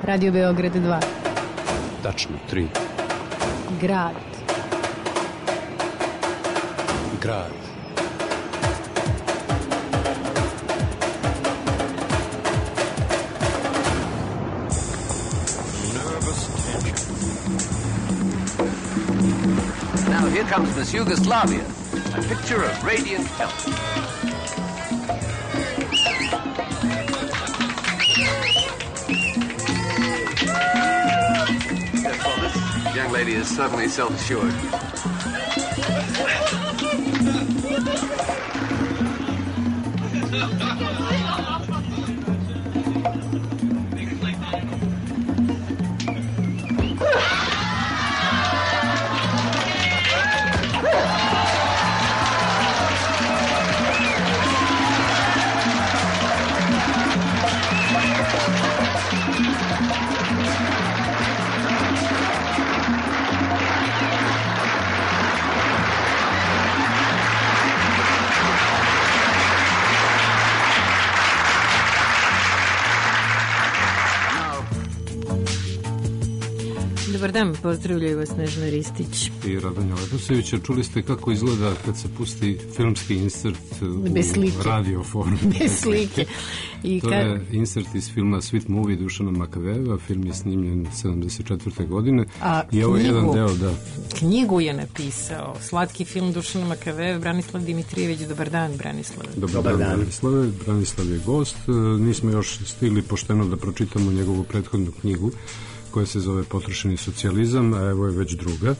Radio Beograd 2. Tačno 3. Grad. Grad. Now here comes Miss Yugoslavia, a picture of radiant health. Yes, well, this young lady is certainly self-assured. Dobar dan, pozdravljaju vas Snežana Ristić i Radonja Leposevića. Čuli ste kako izgleda kad se pusti filmski insert u radio formi. Bez slike. To je insert iz filma Sweet Movie Dušana Makavejeva. Film je snimljen 74. godine. I ovo je jedan deo, da. Knjigu je napisao slatki film Dušana Makavejeva Branislav Dimitrijević. Dobar dan, Branislave. Dobar dan, Branislave. Branislav je gost. Nismo još stigli pošteno da pročitamo njegovu prethodnu knjigu koja se zove Potrošeni socijalizam, a evo je već druga.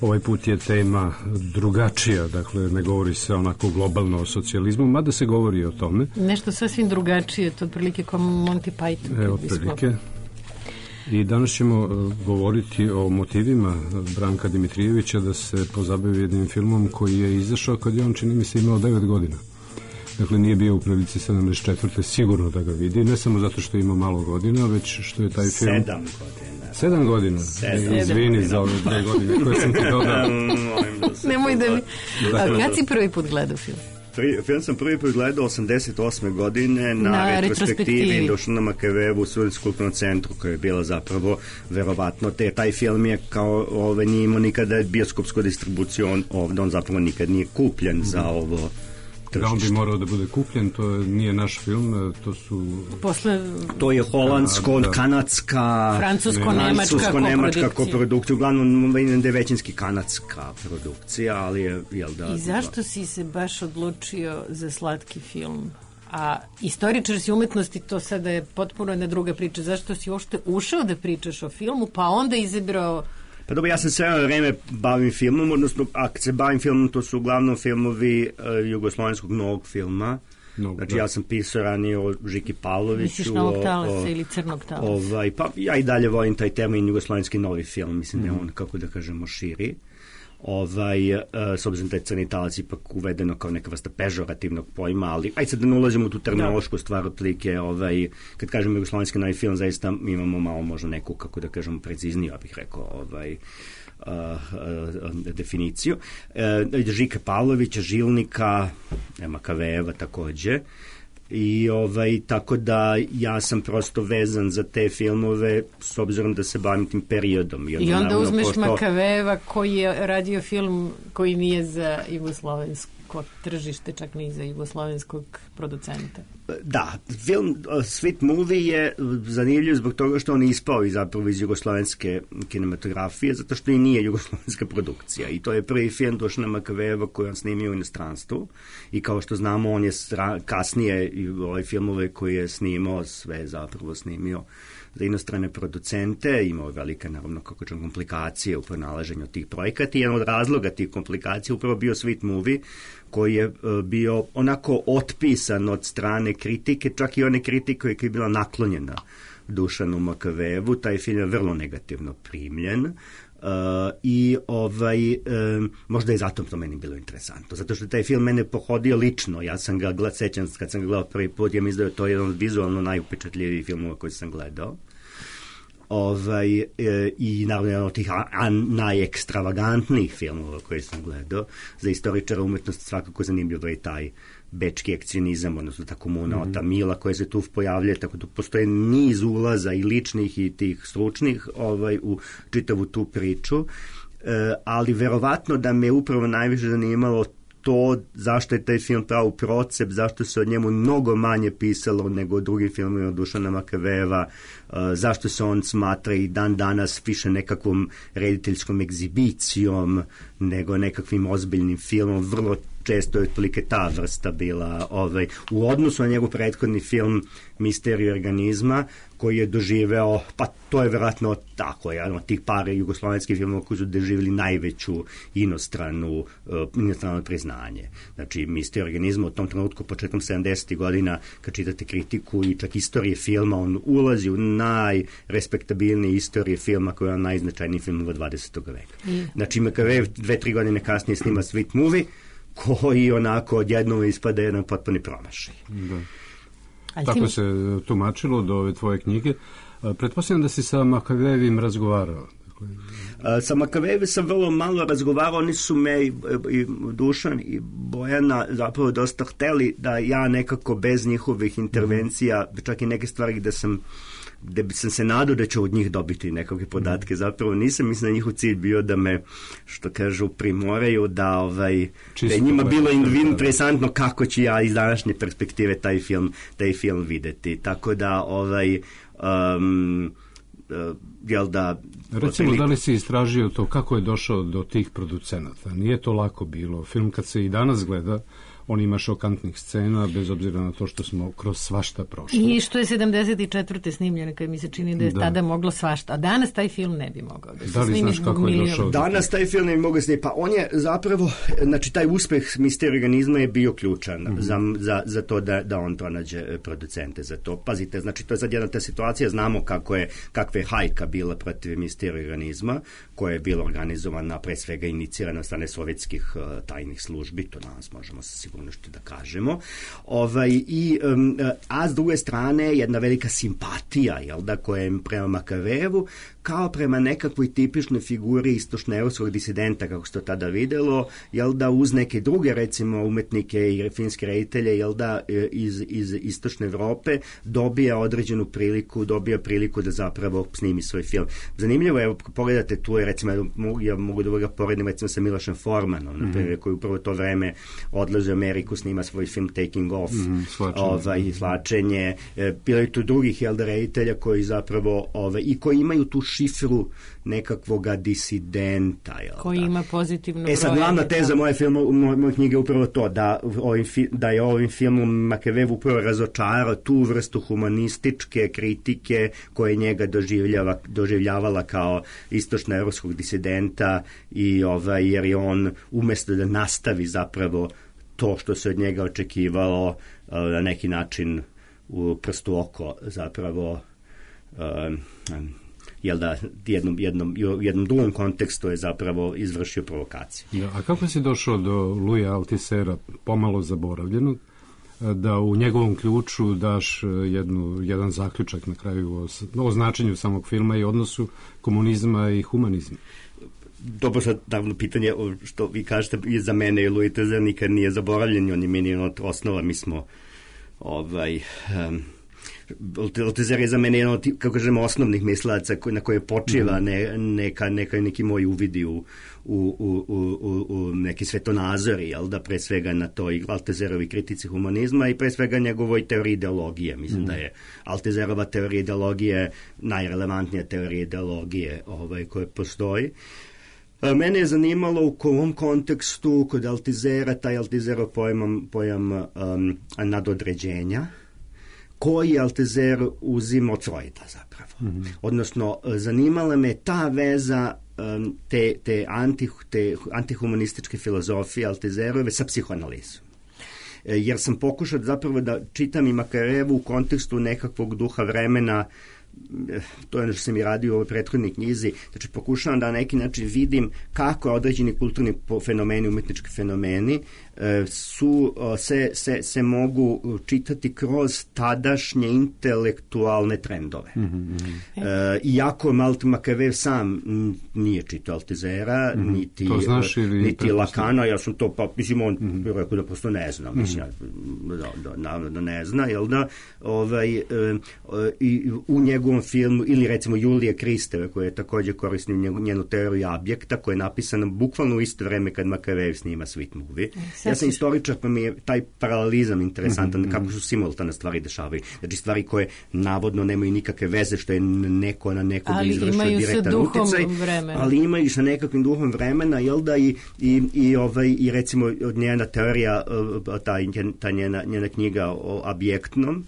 Ovaj put je tema drugačija, dakle ne govori se onako globalno o socijalizmu, mada se govori o tome. Nešto sasvim drugačije, to otprilike kao Monty Python. Evo, otprilike. I danas ćemo govoriti o motivima Branka Dimitrijevića da se pozabavi jednim filmom koji je izašao kad je on, čini mi se, imao 9 godina. Dakle, nije bio u prilici 74. sigurno da ga vidi, ne samo zato što ima malo godina, već što je taj film... 7 godina. 7 godina? Izvini za ove 2 godine koje sam ti dodao. Nemoj da mi... A kad si prvi put gledao film? Film sam prvi put gledao 88. godine na retrospektivi Dušana Makavejevu u Studentskom kulturnom centru, koja je bila zapravo verovatno, taj film je kao nije imao nikada bioskopsku distribuciju ovde, on zapravo nikad nije kupljen za ovo. Da, on bi morao da bude kupljen, to nije naš film, to su... To je holandsko-kanadska... Francusko-nemačka koprodukcija, uglavnom da je većinski kanadska produkcija, ali je, jel da... I zašto si se baš odlučio za slatki film? A istoričar si umetnosti, to sada je potpuno jedna druga priča. Zašto si uopšte ušao da pričaš o filmu, pa onda izabrao... Pa dobro, ja sam sve vreme bavim filmom, odnosno, a kad se bavim filmom, to su uglavnom filmovi jugoslovenskog novog filma. Znači, ja sam pisao ranije o Žiki Pavloviću. Misliš Novog talasa ili Crnog talasa? Pa ja i dalje volim taj termin jugoslovenski novi film, mislim da je on, kako da kažemo, širi. S obzirom da je crni talac ipak uvedeno kao neka vrsta pežorativnog pojma, ali ajde sad da ne ulazimo u tu terminološku stvar otprilike, kad kažemo jugoslovenski novi film, zaista imamo malo možda neku, kako da kažemo, precizniju, ja bih rekao, definiciju. Žika Pavlovića, Žilnika, Makavejeva takođe. I tako da ja sam prosto vezan za te filmove s obzirom da se bavim tim periodom. I onda uzmeš Makavejeva koji je radio film koji nije za jugoslovensko tržište, čak ni za jugoslovenskog producenta. Da, film Sweet Movie je zanimljiv zbog toga što on je ispao zapravo iz jugoslovenske kinematografije, zato što i nije jugoslovenska produkcija. I to je prvi film Dušana Makavejeva koji on snimio u inostranstvu. I kao što znamo, on je kasnije ove filmove koje je snimao, sve zapravo snimio za inostrane producente, imao velike, naravno, komplikacije u pronalaženju tih projekata i jedan od razloga tih komplikacija upravo bio Sweet Movie, koji je bio onako otpisan od strane kritike, čak i one kritike koja je bila naklonjena Dušanu Makavejevu. Taj film je vrlo negativno primljen. Možda je zato to meni bilo interesantno, zato što taj film mene pohodio lično. Ja sam ga sećam kad sam ga gledao prvi put, ja mislim da je to jedan od vizualno najupečatljivijih filmova koji sam gledao. I naravno jedan od tih najekstravagantnijih filmova koje sam gledao. Za istoričara umetnosti svakako zanimljivo je taj bečki akcionizam, odnosno ta komuna ta Mila koja se tu pojavlja, tako da postoje niz ulaza i ličnih i tih stručnih u čitavu tu priču, ali verovatno da me upravo najviše zanimalo to zašto je taj film pravo procep, zašto se od njemu mnogo manje pisalo nego o drugim filmima Dušana Makavejeva, zašto se on smatra i dan danas više nekakvom rediteljskom egzibicijom nego nekakvim ozbiljnim filmom. Vrlo često je otprilike ta vrsta bila u odnosu na njegov prethodni film Misteriju organizma, koji je doživeo, pa to je verovatno tako, jedan od tih par jugoslovenskih filmova koji su doživjeli najveću inostrano priznanje. Znači, Misteriju organizma u tom trenutku, početkom 70. godina, kad čitate kritiku i čak istorije filma, on ulazi u najrespektabilnije istorije filma koji je najznačajniji film od 20. veka. Znači, Makavejev 2-3 godine kasnije snima Sweet Movie, koji onako odjednom ispada jedan potpuni promašaj. Da. Tako se tumačilo do ove tvoje knjige. Pretpostavljam da si sa Makavejevim razgovarao. Sa Makavejevim sam vrlo malo razgovarao, oni su me i Dušan i Bojana zapravo dosta hteli da ja nekako bez njihovih intervencija, čak i neke stvari gde sam se nadao da ću od njih dobiti nekakve podatke. Zapravo nisam, mislim da njihov cilj bio da me, što kažu, primoraju da je njima bilo interesantno kako ću ja iz današnje perspektive taj film videti. Tako da jel da... Recimo, da li si istražio to kako je došao do tih producenata? Nije to lako bilo. Film kad se i danas gleda, on ima šokantnih scena, bez obzira na to što smo kroz svašta prošli. I što je 74. snimljeno, kad mi se čini da je tada moglo svašta. A danas taj film ne bi mogao da se snimi. Da li znaš kako je došao? Danas taj film ne bi mogao snimiti. Pa on je zapravo, znači taj uspeh Misteriju organizma je bio ključan za to da on pronađe producente za to. Pazite, znači to je sad jedna ta situacija, znamo kakva je hajka bila protiv Misteriju organizma, koja je bila organizovana, pre svega inicirana od strane sovjetskih tajnih službi, to danas možemo sa sigurnošću da kažemo. A s druge strane jedna velika simpatija, jel da, koja je prema Makavejevu, kao prema nekakvoj tipičnoj figuri istočnoevropskog disidenta, kako se to tada videlo, jel da, uz neke druge, recimo, umetnike i filmske reditelje, jel da, iz istočne Evrope dobija određenu priliku da zapravo snimi svoj film. Zanimljivo je, pogledate, tu je, recimo, ja mogu da ga poredim, recimo, sa Milošem Formanom, naprimjer, koji upravo to vreme odlazi u Ameriku, snima svoj film Taking Off, Svlačenje. Bilo je tu drugih, jel da, reditelja koji zapravo, i koji imaju tu šifru nekakvoga disidenta. Koji ima pozitivno broje. Sad, glavna teza moje knjige je upravo to, da je ovim filmom Makavejev upravo razočarao tu vrstu humanističke kritike koje njega doživljavala kao istočnoevropskog disidenta jer je on umjesto da nastavi zapravo to što se od njega očekivalo na neki način u prstu oko zapravo jel da jednom drugom kontekstu je zapravo izvršio provokaciju. Ja, a kako si došao do Louisa Althusera, pomalo zaboravljenog, da u njegovom ključu daš jedan zaključak na kraju o značenju samog filma i odnosu komunizma i humanizma? Dobro, sad davno pitanje, što vi kažete, za mene je Louis Althusser nikad nije zaboravljen, on je meni od osnova, mi smo Althusser je za mene jedan od, kako kažemo, osnovnih mislaca na koje počiva neki moji uvidi u neki svetonazori, jel da, pre svega na toj Althusserovi kritici humanizma i pre svega njegovoj teoriji ideologije. Mislim da je Althusserova teorija ideologije najrelevantnija teorija ideologije koja postoji. Mene je zanimalo u ovom kontekstu kod Althussera, taj Althusserov pojam nadodređenja, koji Althusser uzima od Freuda zapravo. Odnosno, zanimala me ta veza te antihumanističke filozofije Althusserove sa psihoanalizom. Jer sam pokušao zapravo da čitam i Makavejevu u kontekstu nekakvog duha vremena to je ono što sam i radio u ovoj prethodnoj knjizi, znači pokušavam da na neki način vidim kako određeni kulturni fenomeni, umetnički fenomeni se mogu čitati kroz tadašnje intelektualne trendove. Iako Machiavelli sam nije čitao Altizera, niti Lacana, ja sam to, mislim, on rekao da prosto ne zna, mislim, da ne zna, jel da, i u njegovom filmu, ili recimo Julije Kristeve, koja je takođe korisni njenu teoriju objekta, koja je napisana bukvalno u isto vreme kad Machiavelli snima Sweet Movie. Ja sam istoričar, pa mi je taj paralelizam interesantan, kako su simultane stvari dešavaju. Znači stvari koje navodno nemaju nikakve veze, što je neko na nekog izvršio direktan uticaj, ali imaju sa nekakvim duhom vremena, jel da, i recimo njena teorija, ta njena knjiga o objektnom,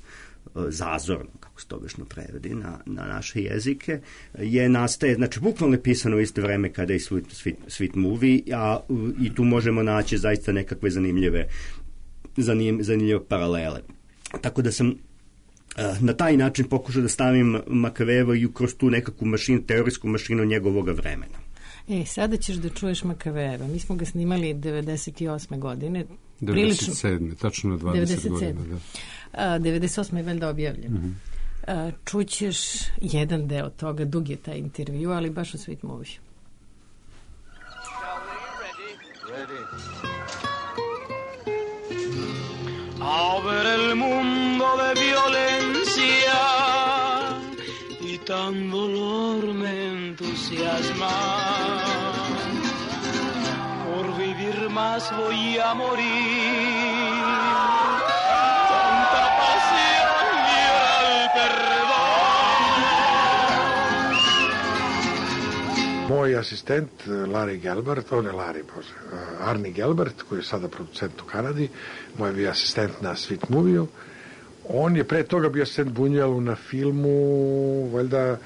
zazorno, kako se to obično prevedi na naše jezike, nastaje, znači bukvalno je pisano u isto vreme kada je Sweet Movie, i tu možemo naći zaista nekakve zanimljive paralele. Tako da sam na taj način pokušao da stavim Machiavelli kroz tu nekakvu mašinu, teorijsku mašinu njegovog vremena. Sada ćeš da čuješ Machiavellija. Mi smo ga snimali 98. godine. 97. Tačno 20 godina. 98. je valjda objavljen. Čućeš jedan deo toga, dug je taj intervju, ali baš u Sweet Movie. A ver el mundo de violencia y tan dolor me entusiasma. Por vivir más voy a morir. Tanta pasión y el perdón. Moj asistent Larry Gelbart, on je Arnie Gelbart, koji je sada producent u Kanadi, moj je bio asistent na Sweet Movie-u. On je pre toga bio asistent Bunjuelu na filmu, valjda,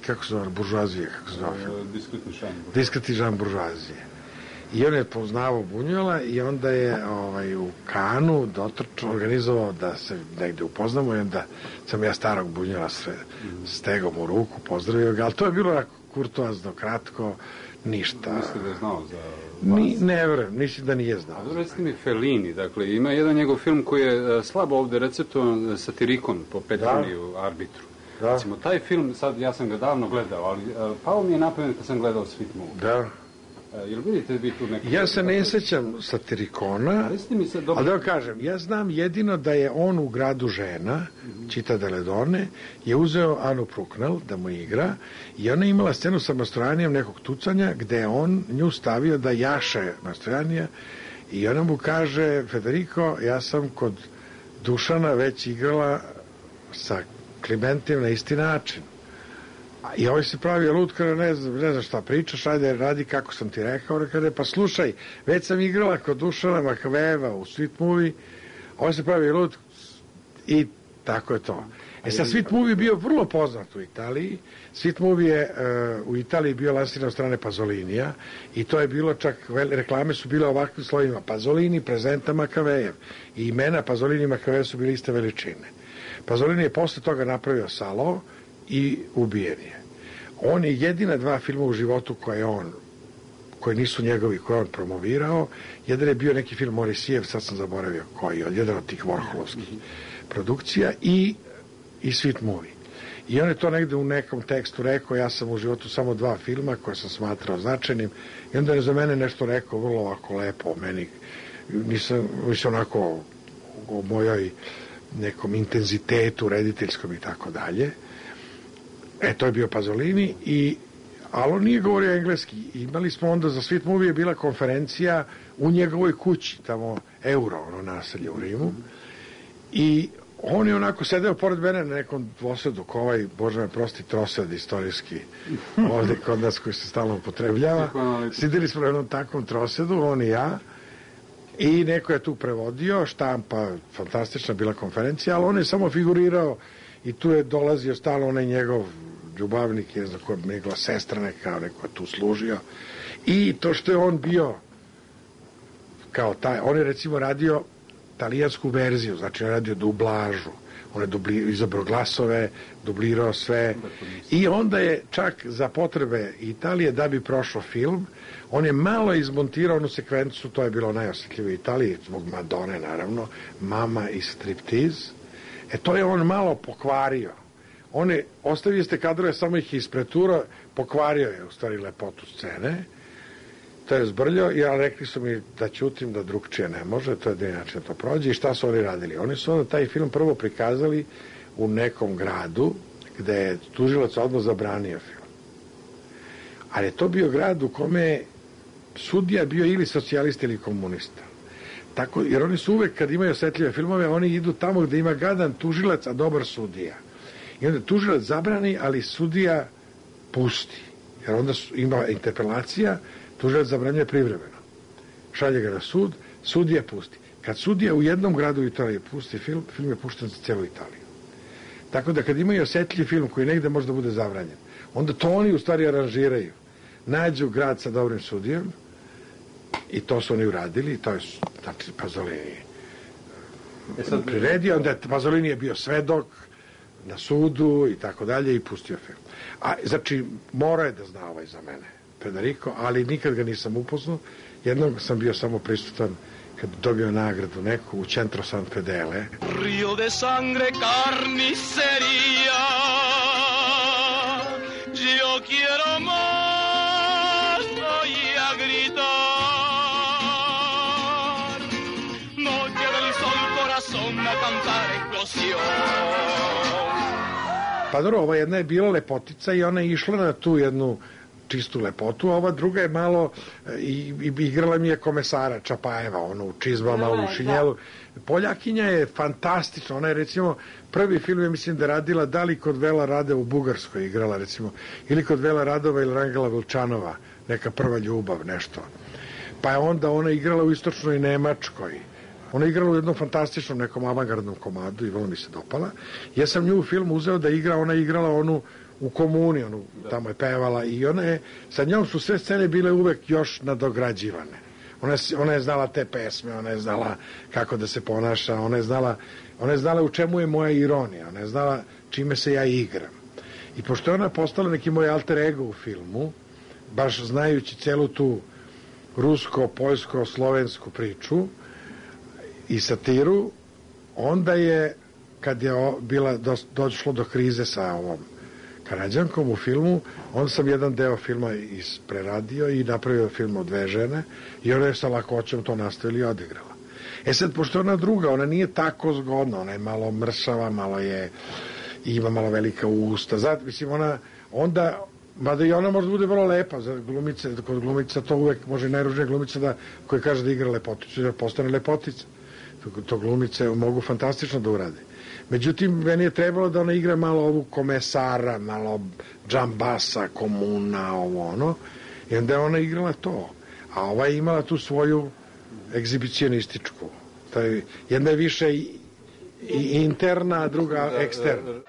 kako se zove, Buržuazije, kako se zove film? Diskretni žan Buržuazije. I on je poznavao Bunjuela i onda je u Kanu organizovao da se negde upoznamo i onda sam ja starog Bunjuela stegao mu ruku, pozdravio ga, ali to je bilo kurtoazno, kratko, ništa. Mislim da je znao za vas? Ne verujem, mislim da nije znao. Recite mi Fellini, dakle, ima jedan njegov film koji je slabo ovde receptovan, Satirikon po Petroniju Arbitru. Da. Recimo, taj film, sad ja sam ga davno gledao, ali pao mi je napamet kad sam gledao Sweet Movie. Da. Jel vidite vi tu neko... Ja se ne sećam Satirikona, ali da vam kažem, ja znam jedino da je on u Gradu žena, Città delle Donne, je uzeo Anu Pruknal da mu igra i ona imala scenu sa Mastrojanijem nekog tucanja gde je on nju stavio da jaše Mastrojanija i ona mu kaže, Federico, ja sam kod Dušana već igrala sa Klimentijem na isti način. I ovaj se pravi lud, kada ne znam šta pričaš, ajde radi kako sam ti rekao, kada pa slušaj, već sam igrala kod Dušana Machiavellija u Sweet Movie, ovaj se pravi lud i tako je to. Sad Sweet Movie bio vrlo poznat u Italiji, Sweet Movie je u Italiji bio lansiran od strane Pazolinija i to je bilo čak, reklame su bile ovakvim slovima, Pazolini prezenta Machiavellijev i imena Pazolini i Machiavelli su bili iste veličine. Pazolini je posle toga napravio Salo i ubijen je. On je jedina dva filma u životu koji nisu njegovi, koje on promovirao. Jedan je bio neki film Morisijev, sad sam zaboravio koji, jedan od tih Warholovskih produkcija i Sweet Movie. I on je to negde u nekom tekstu rekao, ja sam u životu samo dva filma koje sam smatrao značajnim i onda je za mene nešto rekao vrlo ovako lepo o meni. Nisam onako o mojoj nekom intenzitetu rediteljskom i tako dalje. To je bio Pazolini, ali on nije govorio engleski. Imali smo onda za Sweet Movie je bila konferencija u njegovoj kući, tamo Euro, naselje u Rimu. I on je onako sedeo pored mene na nekom dvosedu, ko ovaj, Bože me prosti, trosed istorijski, ovde kod nas koji se stalno upotrebljava. Sidili smo na jednom takvom trosedu, on i ja. I neko je tu prevodio, štampa, fantastična bila konferencija, ali on je samo figurirao i tu je dolazio stalno onaj njegov ljubavnik, je za koja njegova sestra neka, neko je tu služio. I to što je on bio kao taj, on je recimo radio talijansku verziju, znači on je radio dublažu, on je izabrao glasove, dublirao sve i onda je čak za potrebe Italije da bi prošao film, on je malo izmontirao onu sekvencu, to je bilo najosjetljivije u Italiji, zbog Madone naravno, Mama i striptiz, to je on malo pokvario. On je, ostavio ste kadrove, samo ih ispreturao, pokvario je u stvari lepotu scene, to je zbrljao i rekli su mi da ćutim, da drugčije ne može, to je da inače to prođe. I šta su oni radili? Oni su onda taj film prvo prikazali u nekom gradu gde je tužilac odmah zabranio film. Ali je to bio grad u kome je sudija bio ili socijalista ili komunista. Tako, jer oni su uvek, kad imaju osetljive filmove, oni idu tamo gde ima gadan tužilac, a dobar sudija. I onda tužilac zabrani, ali sudija pusti. Jer onda ima interpelacija, tužilac zabranjuje privremeno. Šalje ga na sud, sudija pusti. Kad sudija u jednom gradu u Italiji pusti film, film je pušten za celu Italiju. Tako da kad imaju osetljiv film koji negde možda bude zabranjen, onda to oni u stvari aranžiraju. Nađu grad sa dobrim sudijom i to su oni uradili i to je, znači, Pasolini priredio, onda Pasolini je bio svedok na sudu i tako dalje i pustio film. A, znači, mora je da zna ovaj za mene, Federico, ali nikad ga nisam upoznao. Jednog sam bio samo prisutan kad dobio nagradu neku u Centro San Fedele. Rio de sangre carnicería, yo quiero más, voy a gritar. Noche del sol, corazón, a cantar explosión. Pa dobro, ova jedna je bila lepotica i ona je išla na tu jednu čistu lepotu, a ova druga je malo i igrala mi je komesara Čapajeva, ono u čizmama, u šinjelu. Poljakinja je fantastična, ona je recimo prvi film, ja mislim da radila da li kod Vela Rade u Bugarskoj igrala recimo, ili kod Vela Radova ili Rangela Vilčanova, neka prva ljubav, nešto. Pa je onda ona igrala u istočnoj Nemačkoj. Ona je igrala u jednom fantastičnom nekom avangardnom komadu i vrlo mi se dopala. Ja sam nju u filmu uzeo da igra, ona je igrala onu u Komuni, onu tamo je pevala i ona je, sa njom su sve scene bile uvek još nadograđivane. Ona je znala te pesme, ona je znala kako da se ponaša, ona je znala u čemu je moja ironija, ona je znala čime se ja igram. I pošto je ona postala neki moj alter ego u filmu, baš znajući celu tu rusko, poljsko, slovensku priču i satiru, onda je, kad je došlo do krize sa ovom Karadžankom u filmu, onda sam jedan deo filma preradio i napravio film o dve žene i ona je sa lakoćom to nastavila i odigrala. Sad, pošto ona druga, ona nije tako zgodna, ona je malo mršava, malo je, ima malo velika usta, zato, mislim, ona, onda, mada i ona možda bude vrlo lepa, za glumice, kod glumica to uvek može i najružnija glumica koja kaže da igra lepoticu, da postane lepotica. To glumice mogu fantastično da urade. Međutim, meni je trebalo da ona igra malo ovu komesara, malo džambasa, komuna, ovo ono. I onda je ona igrala to. A ova je imala tu svoju egzibicionističku. Jedna je više i interna, a druga eksterna.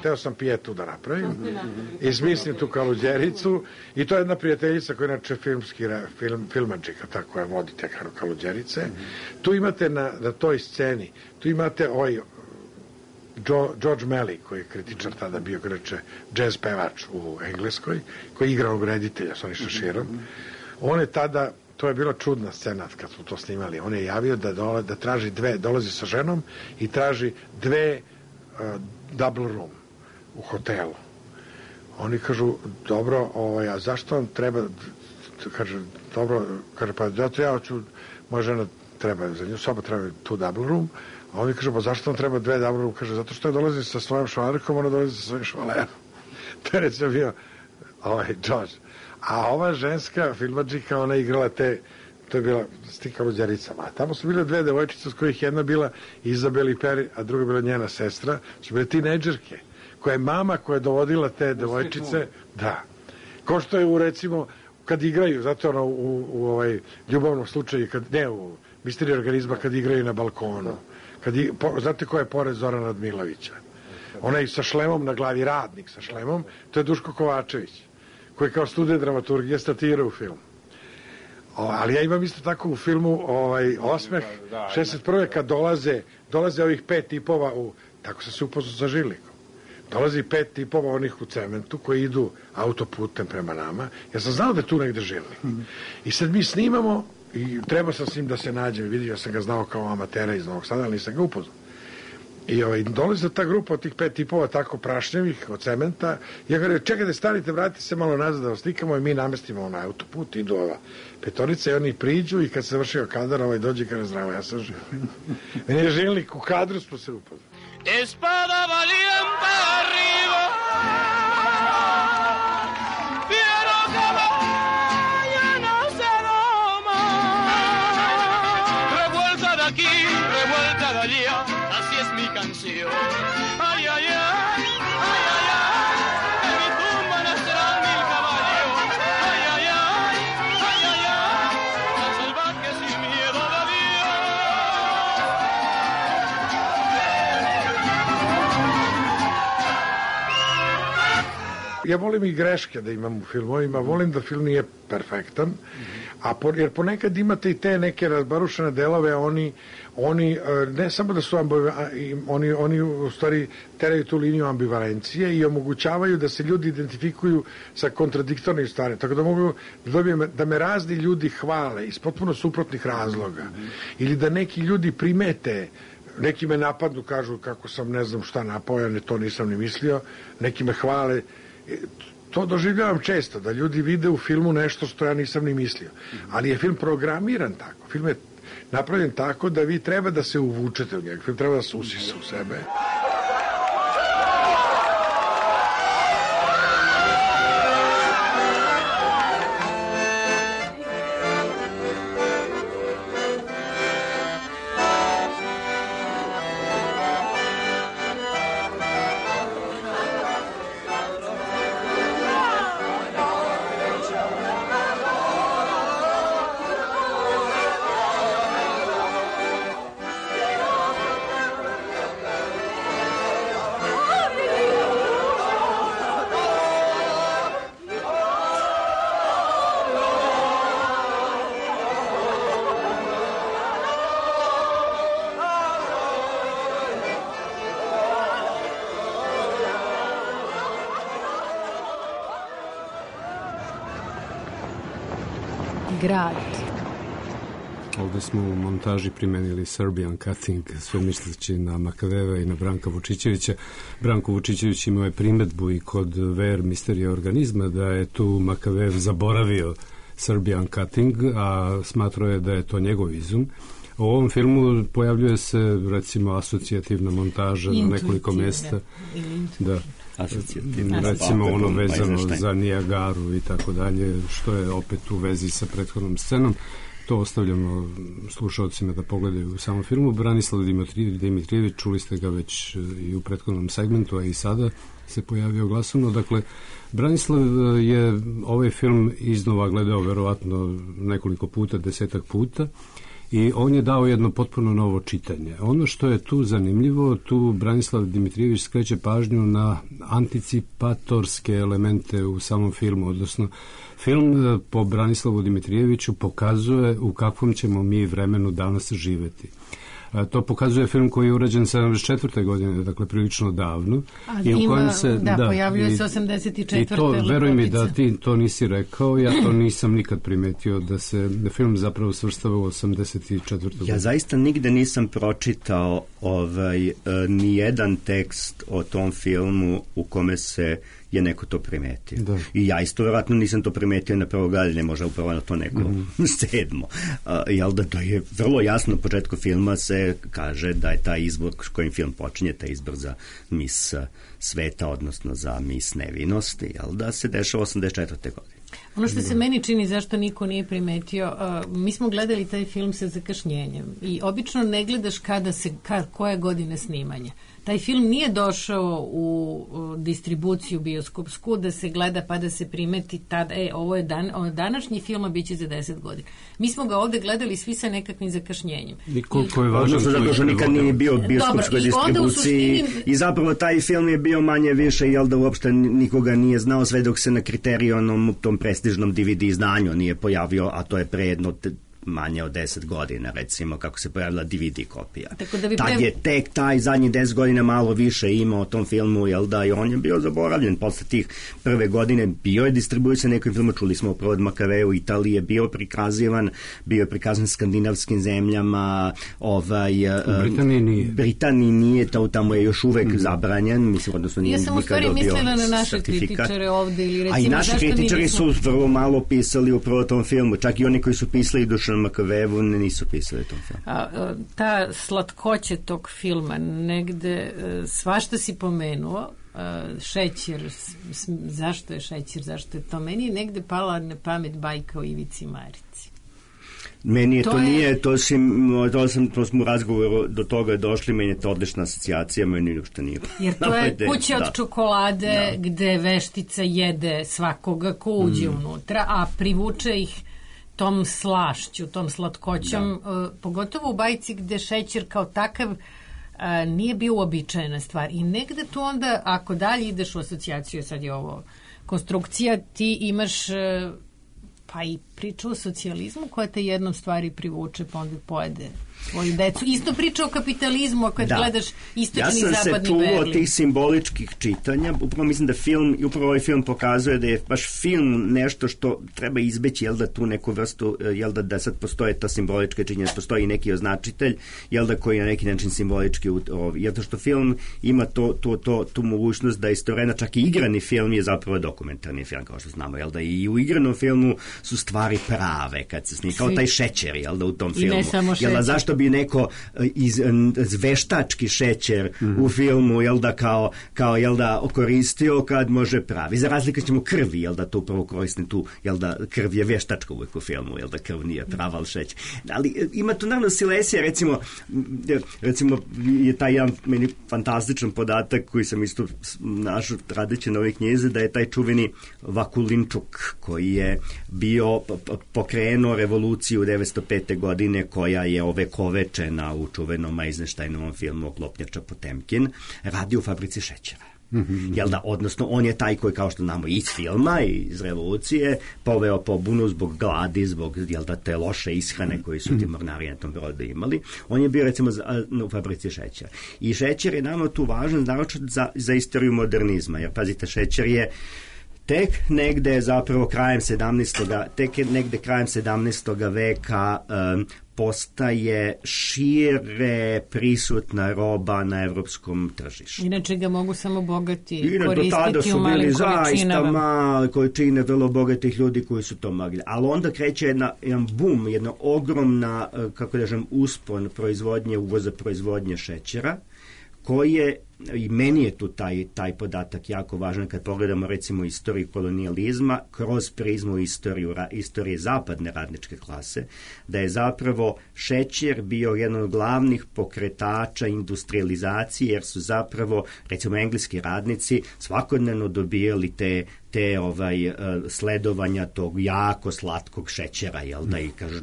Teo sam pijetu da napravim i smislim tu kaluđericu i to je jedna prijateljica koja je inače filmadžika, tako je vodite kaluđerice. Tu imate na toj sceni, tu imate George Melly, koji je kritičar tada bio, kreće džez pevač u Engleskoj, koji je igrao reditelja s onim šaširom. On je tada, to je bila čudna scena kad smo to snimali, on je javio da traži dolazi sa ženom i traži dve double room u hotelu. Oni kažu, dobro, a zašto vam treba, kaže, dobro, kaže, pa zato ja hoću, moja žena treba, za nju soba treba tu double room, a oni kažu, pa zašto vam treba dve double room, kaže, zato što je dolazi sa svojom švalerkom, ona dolazi sa svojim švalerom. To je recimo bio George. A ova ženska filmadžika, ona je igrala to je bila s tim kaluđericama. A tamo su bile dve devojčice, s kojih jedna bila Izabel Peri, a druga bila njena sestra, su bile tinejdžerke, koja je mama koja je dovodila te devojčice, da. Ko što je recimo, kad igraju, zato ono u ljubavnom slučaju, u Misteriji organizma, kad igraju na balkonu. Znate ko je pored Zorana Radmilovića? Onaj sa šlemom na glavi, radnik sa šlemom, to je Duško Kovačević, koji kao student dramaturgije statira u film. Ali ja imam isto tako u filmu Osmeh, 61. kad dolaze ovih 5 tipova, tako sam se upoznao sa Žilikom. Dolazi 5 tipova onih u cementu koji idu autoputem prema nama. Ja sam znao da je tu negde Žilik. I sad mi snimamo i treba sam s njim da se nađem. Vidio sam ga znao kao amatera iz Novog Sada, ali nisam ga upoznao. I dolazi ta grupa od tih 5 tipova tako prašnjevih od cementa. Ja ga čekajte, stanite, vratite se malo nazad da vas slikamo i mi namestimo na autoput. Idu ova 5 i oni priđu i kad se završio kadar, dođe i kada zdravo, ja sam Žilik. Meni je Žilik, u kadru smo se upoznali. Espada valiente arriba, fiero caballo no se doma, revuelta de aquí, revuelta de allá, así es mi canción. Ay, ay, ay, ay, ay, ay, en mi tumba nacerán 1000 caballos. Ay, ay, ay, ay, ay, ay, tan salvaje sin miedo de Dios. Ja volim i greške da imam u filmovima, volim da film nije perfektan, jer ponekad imate i te neke razbarušene delove, oni ne samo da su oni u stvari teraju tu liniju ambivalencije i omogućavaju da se ljudi identifikuju sa kontradiktornim stvarima, tako da mogu da dobijem da me razni ljudi hvale iz potpuno suprotnih razloga ili da neki ljudi primete, neki me napadnu, kažu kako sam ne znam šta napao, ja to nisam ni mislio, neki me hvale. To doživljavam često, da ljudi vide u filmu nešto što ja nisam ni mislio. Ali je film programiran tako. Film je napravljen tako da vi treba da se uvučete u njega. Film treba da se usisa u sebe. Grad. Ovde smo u montaži primenili Serbian cutting, sve misleći na Makaveva i na Branka Vučićevića. Branko Vučićević imao je primedbu i kod VR Misterija organizma da je tu Makavev zaboravio Serbian cutting, a smatrao je da je to njegov izum. U ovom filmu pojavljuje se recimo asocijativna montaža na nekoliko mesta. Da. Recimo ono vezano za Nijagaru i tako dalje, što je opet u vezi sa prethodnom scenom. To ostavljamo slušalcima da pogledaju u samom filmu. Branislav Dimitrijević, čuli ste ga već i u prethodnom segmentu, a i sada se pojavio glasovno. Dakle, Branislav je ovaj film iznova gledao verovatno nekoliko puta, 10-ak puta, i on je dao jedno potpuno novo čitanje. Ono što je tu zanimljivo, tu Branislav Dimitrijević skreće pažnju na anticipatorske elemente u samom filmu, odnosno film po Branislavu Dimitrijeviću pokazuje u kakvom ćemo mi vremenu danas živeti. To pokazuje film koji je urađen 74. godine, dakle prilično davno. I u kojem se, pojavljuje se 84. I to, veruj mi da ti to nisi rekao, ja to nisam nikad primetio, da se film zapravo svrstava u 84. godine. Ja zaista nigde nisam pročitao ni jedan tekst o tom filmu u kome se je neko to primetio. Da. I ja isto vjerojatno nisam to primetio na prvo gledanje, možda upravo na to neko sedmo. Jel da to je vrlo jasno u početku filma se kaže da je taj izbor kojim film počinje, taj izbor za mis sveta, odnosno za mis nevinosti, jel da se dešava 84. godine. Ono što se meni čini, zašto niko nije primetio, mi smo gledali taj film sa zakašnjenjem i obično ne gledaš koje godine snimanja. taj film nije došao u distribuciju bioskopsku da se gleda pa da se primeti tada, ovo je današnji film, a bit će za 10 godina. Mi smo ga ovde gledali svi sa nekakvim zakašnjenjem. I koliko je važno zato što nikad nije bio u bioskopskoj distribuciji i zapravo taj film je bio manje više, jel da uopšte nikoga nije znao sve dok se na Kriterionom, tom prestižnom DVD izdanju nije pojavio, a to je pre jedno manje od 10 godina, recimo, kako se pojavila DVD kopija. Tad je tek taj zadnjih 10 godina malo više imao o tom filmu, jel da, i on je bio zaboravljen. Posle tih prve godine bio je distribuisan nekim filmu, čuli smo upravo od Makavea u Italiji, je bio prikazan skandinavskim zemljama, Britaniji nije, tamo je još uvek zabranjen, mislim, odnosno nije nikad dobio certifikat. Ja sam u stvari mislila na naše kritičare ovde, ili recimo, a i naši kritičari su vrlo malo pisali upravo o tom filmu, čak i oni koji su pisali Dušan Makavevu nisu pisali tom filmu. Ta slatkoća tog filma, negde svašta si pomenuo, šećer, zašto je šećer, zašto je to? Meni je negde pala na pamet bajka o Ivici Marici. Meni je to smo u razgovoru do toga došli, meni je to odlična asocijacija, meni ništa nije. Jer to je kuća od čokolade gde veštica jede svakoga ko uđe unutra, a privuče ih tom slašću, tom slatkoćom, pogotovo u bajci gde šećer kao takav nije bio uobičajena stvar. I negde tu onda, ako dalje ideš u asocijaciju, sad je ovo konstrukcija, ti imaš pa i priča o socijalizmu koja te jednom stvari privuče, pa onda pojede svoju decu. Isto priča o kapitalizmu, ako gledaš istočni i zapadni Berlin. Ja sam se tu od tih simboličkih čitanja, upravo mislim da upravo ovaj film pokazuje da je baš film nešto što treba izbeći, jel da tu neku vrstu, jel da sad postoje ta simbolička činjenja, postoji neki označitelj, jel da koji je na neki način simbolički, jel da što film ima tu mogućnost da istovremeno čak i igrani film je zapravo dokumentarni film, kao što znamo, jel da i u igranom filmu su stvari prave kad se snima, kao taj šećer, jel da u tom filmu. Jel da zašto bi neko veštački šećer u filmu, jel da kao jel da koristio kad može pravi. Za razliku ćemo krvi, jel da to upravo koristim tu, jel da krv je veštačka uvijek u filmu, jel da krv nije prava, ali šećer. Ali ima tu naravno silesija, recimo je taj jedan meni fantastičan podatak koji sam isto našao radeći na ovoj knjizi, da je taj čuveni Vakulinčuk koji je bio pokrenuo revoluciju 1905. godine koja je ovekovečena u čuvenom Eisensteinovom filmu Klopnjača Potemkin, radi u fabrici šećera. Jel da, odnosno on je taj koji, kao što znamo iz filma i iz revolucije, poveo pobunu zbog gladi, zbog, jel da, te loše ishrane koji su ti mornari na tom brodu imali. On je bio recimo u fabrici šećera. I šećer je nama tu važan naročito za istoriju modernizma, jer pazite, šećer je tek negde zapravo krajem 17. veka postaje šire prisutna roba na evropskom tržištu. Inače ga mogu samo bogati koristiti u malim količinama. Do tada su bili zaista male količine vrlo bogatih ljudi koji su to mogli. Ali onda kreće jedan boom, jedna ogromna, kako kažem, uspon uvoza proizvodnje šećera, koje, i meni je tu taj podatak jako važan kad pogledamo recimo istoriju kolonijalizma kroz prizmu istorije zapadne radničke klase, da je zapravo šećer bio jedan od glavnih pokretača industrializacije, jer su zapravo recimo engleski radnici svakodnevno dobijali te sledovanja tog jako slatkog šećera, jel da, i kaže,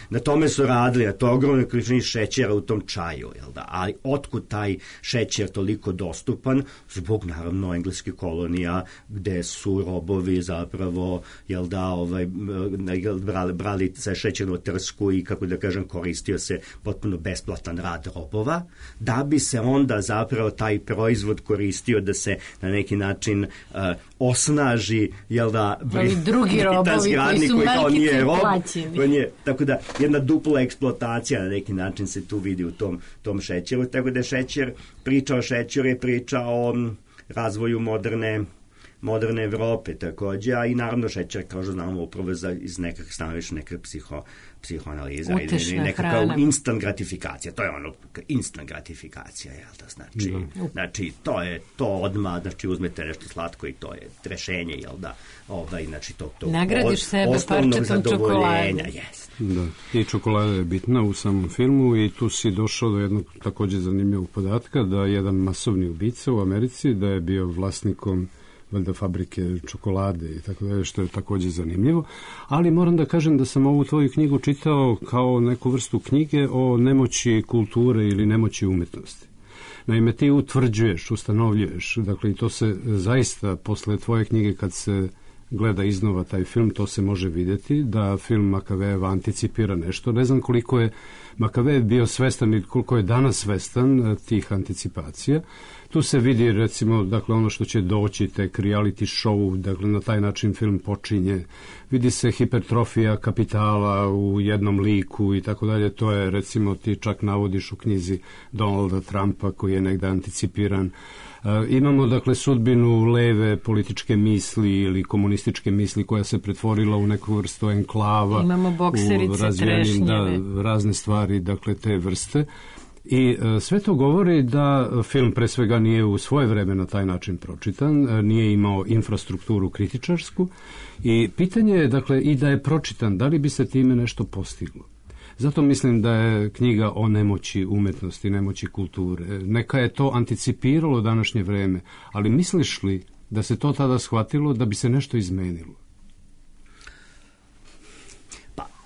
na tome su radili, na to ogromne količine šećera u tom čaju, jel da, ali otkud taj šećer toliko dostupan? Zbog naravno engleskih kolonija gde su robovi zapravo, jel da, brali sa šećernu trsku i, kako da kažem, koristio se potpuno besplatan rad robova, da bi se onda zapravo taj proizvod koristio da se na neki način osnaži, jel da, drugi robovi koji su malkice plaćeni. Tako da jedna dupla eksploatacija na neki način se tu vidi u tom šećeru, tako da priča o šećeru je priča o razvoju moderne moderne Evrope takođe, a i naravno šećer, kao što znamo, upravo iz nekakve stanoviš neke psihoanaliza ili nekakva instant gratifikacija. To je ono, instant gratifikacija, jel da? Znači, to je to odmah, znači uzmete nešto slatko i to je rešenje, jel da? Znači, to nagradiš sebe parčetom čokolade. Da, i čokolada je bitna u samom filmu i tu si došao do jednog takođe zanimljivog podatka da jedan masovni ubica u Americi, da je bio vlasnikom valjda fabrike čokolade i tako dalje, što je takođe zanimljivo. Ali moram da kažem da sam ovu tvoju knjigu čitao kao neku vrstu knjige o nemoći kulture ili nemoći umetnosti. Naime, ti utvrđuješ, ustanovljuješ, dakle i to se zaista posle tvoje knjige kad se gleda iznova taj film, to se može vidjeti, da film Makavejeva anticipira nešto. Ne znam koliko je Makavejev bio svestan i koliko je danas svestan tih anticipacija. Tu se vidi, recimo, dakle, ono što će doći, tek reality show, dakle, na taj način film počinje. Vidi se hipertrofija kapitala u jednom liku i tako dalje. To je, recimo, ti čak navodiš u knjizi Donalda Trumpa koji je negde anticipiran. Imamo, dakle, sudbinu leve političke misli ili komunističke misli koja se pretvorila u neku vrstu enklava. Imamo bokserice, trešnjeve. Da, razne stvari, dakle, te vrste. I sve to govori da film pre svega nije u svoje vreme na taj način pročitan, nije imao infrastrukturu kritičarsku i pitanje je, dakle, i da je pročitan, da li bi se time nešto postiglo. Zato mislim da je knjiga o nemoći umetnosti, nemoći kulture. Neka je to anticipiralo današnje vreme, ali misliš li da se to tada shvatilo da bi se nešto izmenilo?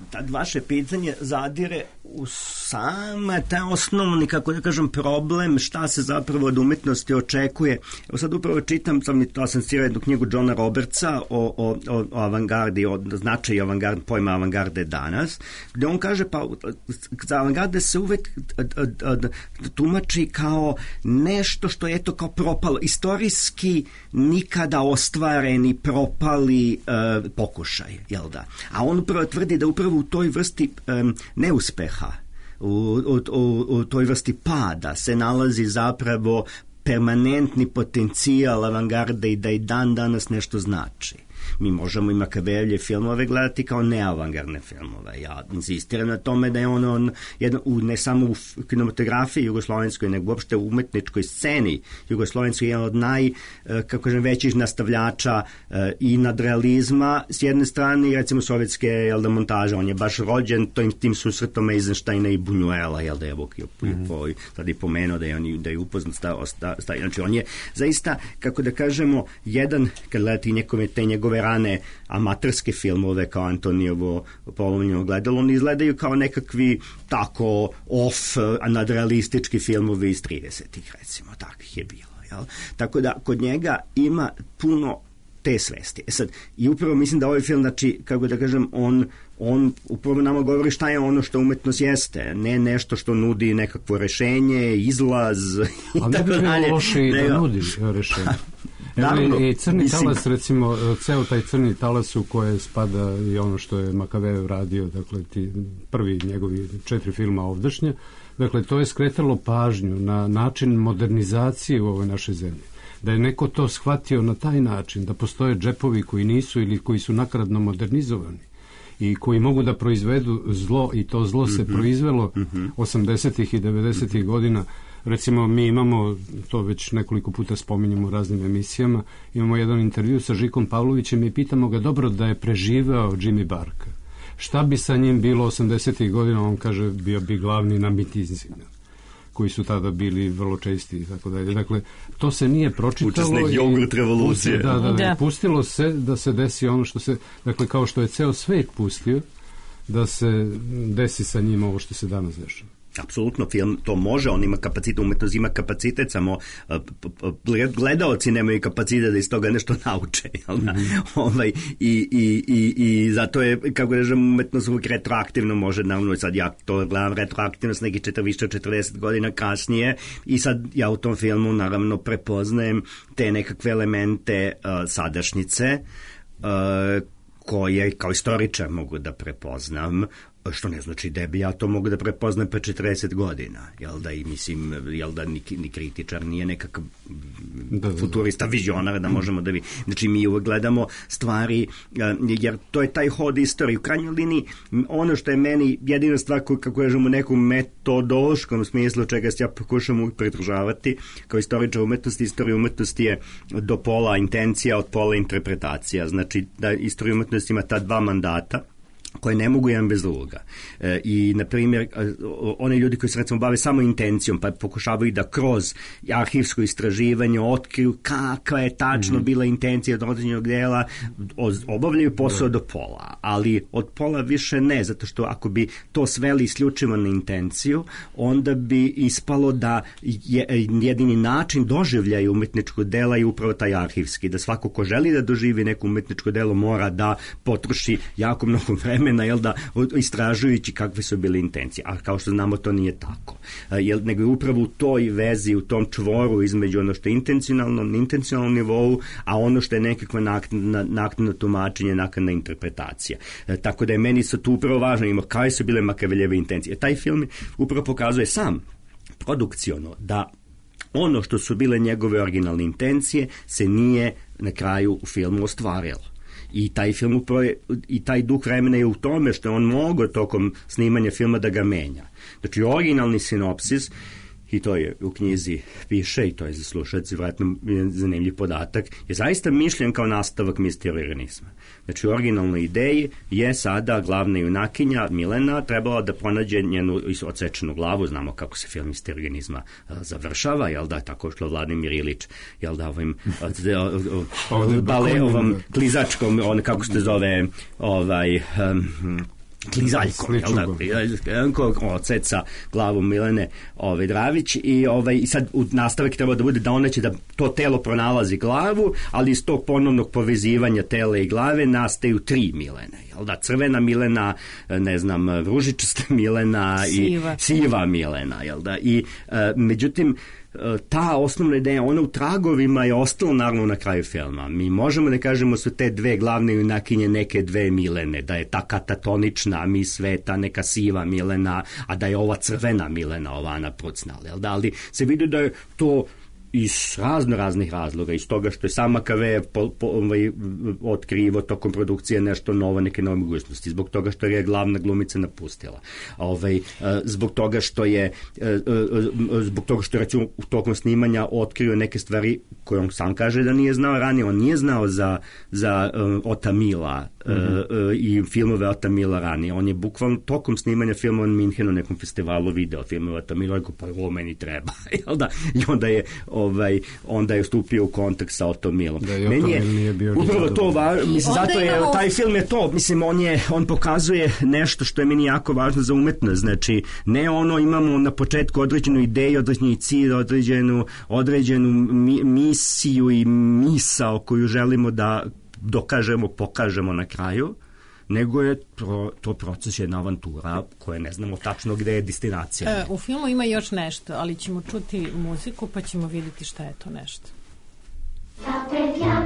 Tad vaše pitanje zadire u sam taj osnovni, kako da kažem, problem šta se zapravo od umetnosti očekuje. Evo sad upravo čitam, sam asocirao jednu knjigu Johna Robertsa o avangardi, o značaju pojma avangarde danas, gde on kaže pa za avangarde se uvek tumači kao nešto što je eto kao propalo, istorijski nikada ostvareni propali pokušaj, jel da? A on upravo tvrdi da upravo u toj vrsti neuspeha, u toj vrsti pada se nalazi zapravo permanentni potencijal avangarde i da i dan danas nešto znači. Mi možemo i Makavejevlje filmove gledati kao neavangardne filmove. Ja insistiram na tome da je on ne samo u kinematografiji jugoslovenskoj, nego uopšte u umetničkoj sceni jugoslovenskoj jedan od većih nastavljača i nadrealizma s jedne strane i recimo sovjetske montaže. On je baš rođen tim susretom Eisensteina i Buñuela, jel da je sad i pomenuo da je upoznat znači on je zaista, kako da kažemo, jedan, kad gledati te njegove rane amaterske filmove kao Antonijevo polovnjeno gledalo, oni izgledaju kao nekakvi tako nadrealistički filmovi iz 30-ih, recimo, takvih je bilo. Jel? Tako da kod njega ima puno te svesti. Sad, i upravo mislim da ovaj film, znači, kako da kažem, on upravo nama govori šta je ono što umetnost jeste, ne nešto što nudi nekakvo rešenje, izlaz i tako dalje. Ali ne bi bilo loše i da nudi rešenje. Naravno, i Crni talas, recimo, ceo taj Crni talas u koje spada i ono što je Makavejev radio, dakle, prvi njegovi 4 filma ovdašnje, dakle, to je skretalo pažnju na način modernizacije u ovoj našoj zemlji. Da je neko to shvatio na taj način, da postoje džepovi koji nisu ili koji su nakradno modernizovani i koji mogu da proizvedu zlo i to zlo se proizvelo 80-ih i 90-ih godina. Recimo, mi imamo, to već nekoliko puta spominjemo u raznim emisijama, imamo jedan intervju sa Žikom Pavlovićem i pitamo ga, dobro, da je preživeo Jimmy Barka. Šta bi sa njim bilo 80-ih godina? On kaže, bio bi glavni na mitinzima, koji su tada bili vrlo česti i tako dalje. Dakle, to se nije pročitalo. Učesnik jogurt revolucije. Da. Pustilo se da se desi ono što se, dakle, kao što je ceo svet pustio, da se desi sa njim ovo što se danas dešava. Apsolutno, film to može, on ima kapacitet, umetnost ima kapacitet, samo gledaoci nemaju kapacitet da iz toga nešto nauče. I zato je, kako kažem, umetnost uvijek retroaktivno može, naravno, sad ja to gledam retroaktivno s nekih više od 40 godina kasnije i sad ja u tom filmu naravno prepoznajem te nekakve elemente sadašnjice koje kao istoričar mogu da prepoznam, Što ne znači da bi ja to mogu da prepoznam pre 40 godina, jel da, i mislim, jel da ni kritičar nije nekakav futurista, vizionar da možemo da znači mi uvek gledamo stvari, jer to je taj hod istorije. U krajnjoj liniji, ono što je meni jedina stvar kako kažemo u nekom metodološkom smislu čega se ja pokušam uvijek pridržavati kao istoričar umetnosti, istorija umetnosti je do pola intencija, od pola interpretacija. Znači da istorija umetnosti ima ta dva mandata koje ne mogu jedan bez druga. I, na primjer, oni ljudi koji se recimo bave samo intencijom, pa pokušavaju da kroz arhivsko istraživanje otkriju kakva je tačno bila intencija od određenog dela, obavljaju posao do pola, ali od pola više ne, zato što ako bi to sveli isključivo na intenciju, onda bi ispalo da jedini način doživljaja umetničkog dela je upravo taj arhivski, da svako ko želi da doživi neko umetničko delo mora da potroši jako mnogo vremena, jel da, istražujući kakve su bile intencije. A kao što znamo, to nije tako. Nego je upravo u toj vezi, u tom čvoru između ono što je intencionalno, na intencionalnom nivou, a ono što je nekakva naknadno tumačenje, naknadna interpretacija. Tako da je meni sad tu upravo važno, ima kaj su bile Makeveljeve intencije. Taj film upravo pokazuje sam produkciono da ono što su bile njegove originalne intencije se nije na kraju u filmu ostvarilo. I taj film upravo i taj duh vremena je u tome što on mogao tokom snimanja filma da ga menja. Znači, originalni sinopsis, i to je u knjizi piše, i to je za slušalce vjerojatno zanimljiv podatak, je zaista mišljen kao nastavak misteriorganizma. Znači, u originalnoj ideji je sada glavna junakinja Milena trebala da pronađe njenu odsečenu glavu, znamo kako se film misteriorganizma završava, jel da, tako što Vladimir Ilić, jel da, ovom klizačkom, on kako se zove, klizaljkom, jel da, oceca glavu Milene Dravić i sad nastavak treba da bude da ona će da to telo pronalazi glavu, ali iz tog ponovnog povezivanja tela i glave nastaju 3 Milene, jel da, crvena Milena, ne znam, ružičasta Milena i siva Milena, jel da, i međutim ta osnovna ideja, ona u tragovima je ostala naravno na kraju filma. Mi možemo da kažemo su te dve glavne junakinje neke dve Milene, da je ta katatonična mi sveta neka siva Milena, a da je ova crvena Milena, ova Ana Prucnal, jel da, ali se vidi da je to iz raznih razloga, iz toga što je sam Makavejev otkrivo tokom produkcije nešto novo, neke nove mogućnosti, zbog toga što je glavna glumica napustila. Zbog toga što je recimo tokom snimanja otkrio neke stvari koje on sam kaže da nije znao ranije. On nije znao za Ota Mila i filmove Ota Mila ranije. On je bukvalno tokom snimanja filma u Minhenu na nekom festivalu video filmove Ota Mila, rekao pa ovo meni treba. I onda je stupio u kontakt sa Otom Milom. Da, i Oto Mil nije bio upravo to mislim, zato je taj film je to, mislim, on pokazuje nešto što je meni jako važno za umetnost. Znači, ne ono imamo na početku određenu ideju, određeni cilj, određenu misiju i misao koju želimo da dokažemo, pokažemo na kraju, nego je to proces, jedna avantura koja ne znamo tačno gde je destinacija. U filmu ima još nešto, ali ćemo čuti muziku pa ćemo vidjeti šta je to nešto. Želja,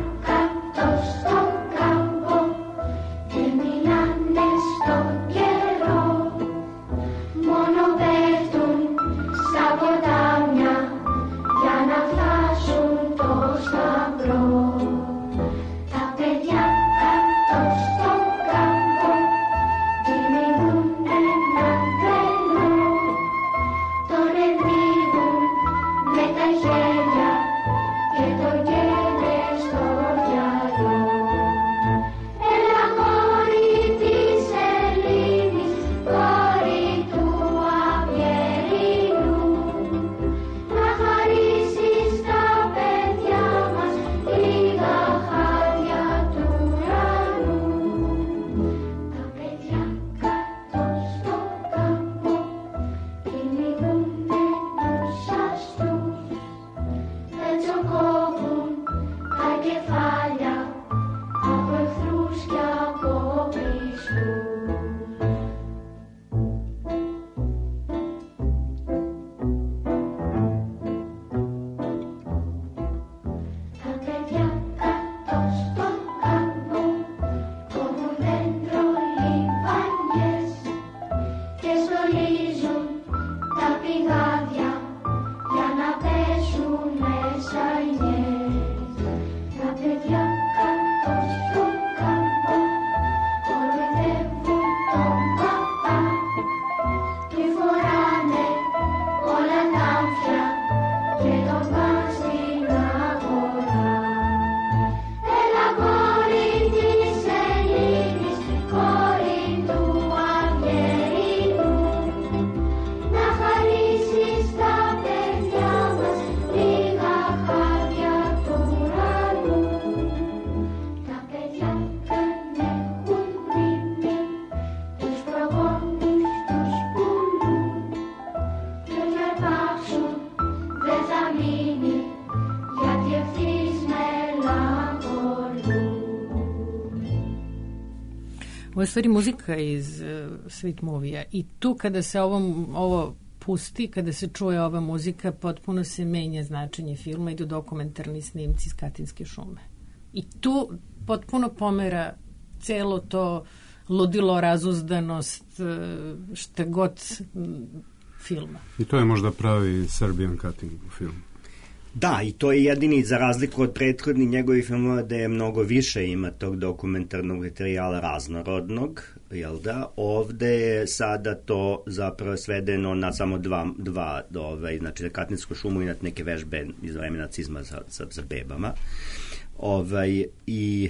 que to llenes, to ya yo. Ovo je stvari muzika iz Sweet Movie-a i tu kada se ovo pusti, kada se čuje ova muzika, potpuno se menja značenje filma, idu dokumentarni snimci iz Katinske šume. I tu potpuno pomera celo to ludilo, razuzdanost, šta god filma. I to je možda pravi Serbian cutting u filmu. Da, i to je jedini, za razliku od prethodnih njegovih filmova, da je mnogo više ima tog dokumentarnog materijala raznorodnog, jel da? Ovde je sada to zapravo svedeno na samo dva znači na Katinsku šumu i na neke vežbe iz vremena nacizma za bebama. I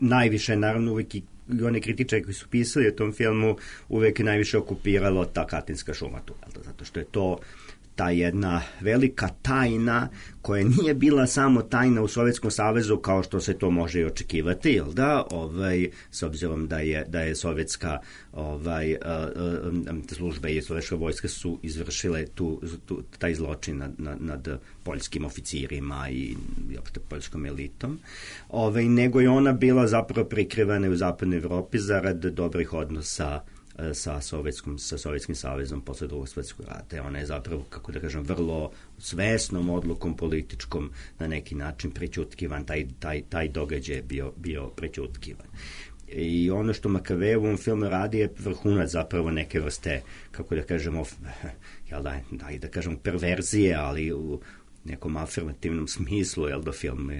najviše, naravno, uvijek i one kritičari koji su pisali o tom filmu uvijek je najviše okupiralo ta Katinska šuma tu, zato što je to ta jedna velika tajna koja nije bila samo tajna u Sovjetskom savezu kao što se to može i očekivati, jel da? S obzirom da je sovjetska služba i sovjetska vojska su izvršile taj zločin nad poljskim oficirima i opšte poljskom elitom, nego je ona bila zapravo prikrivana u zapadnoj Evropi zarad dobrih odnosa sa Sovjetskim savezom posle Drugog svjetskog rata. Ona je zapravo, kako da kažem, vrlo svesnom odlukom političkom na neki način prećutkivan, taj događaj je bio prećutkivan. I ono što Makavej u ovom filmu radi je vrhunac zapravo neke vrste, kako da kažemo, da kažemo perverzije, ali u nekom afirmativnom smislu, jel da film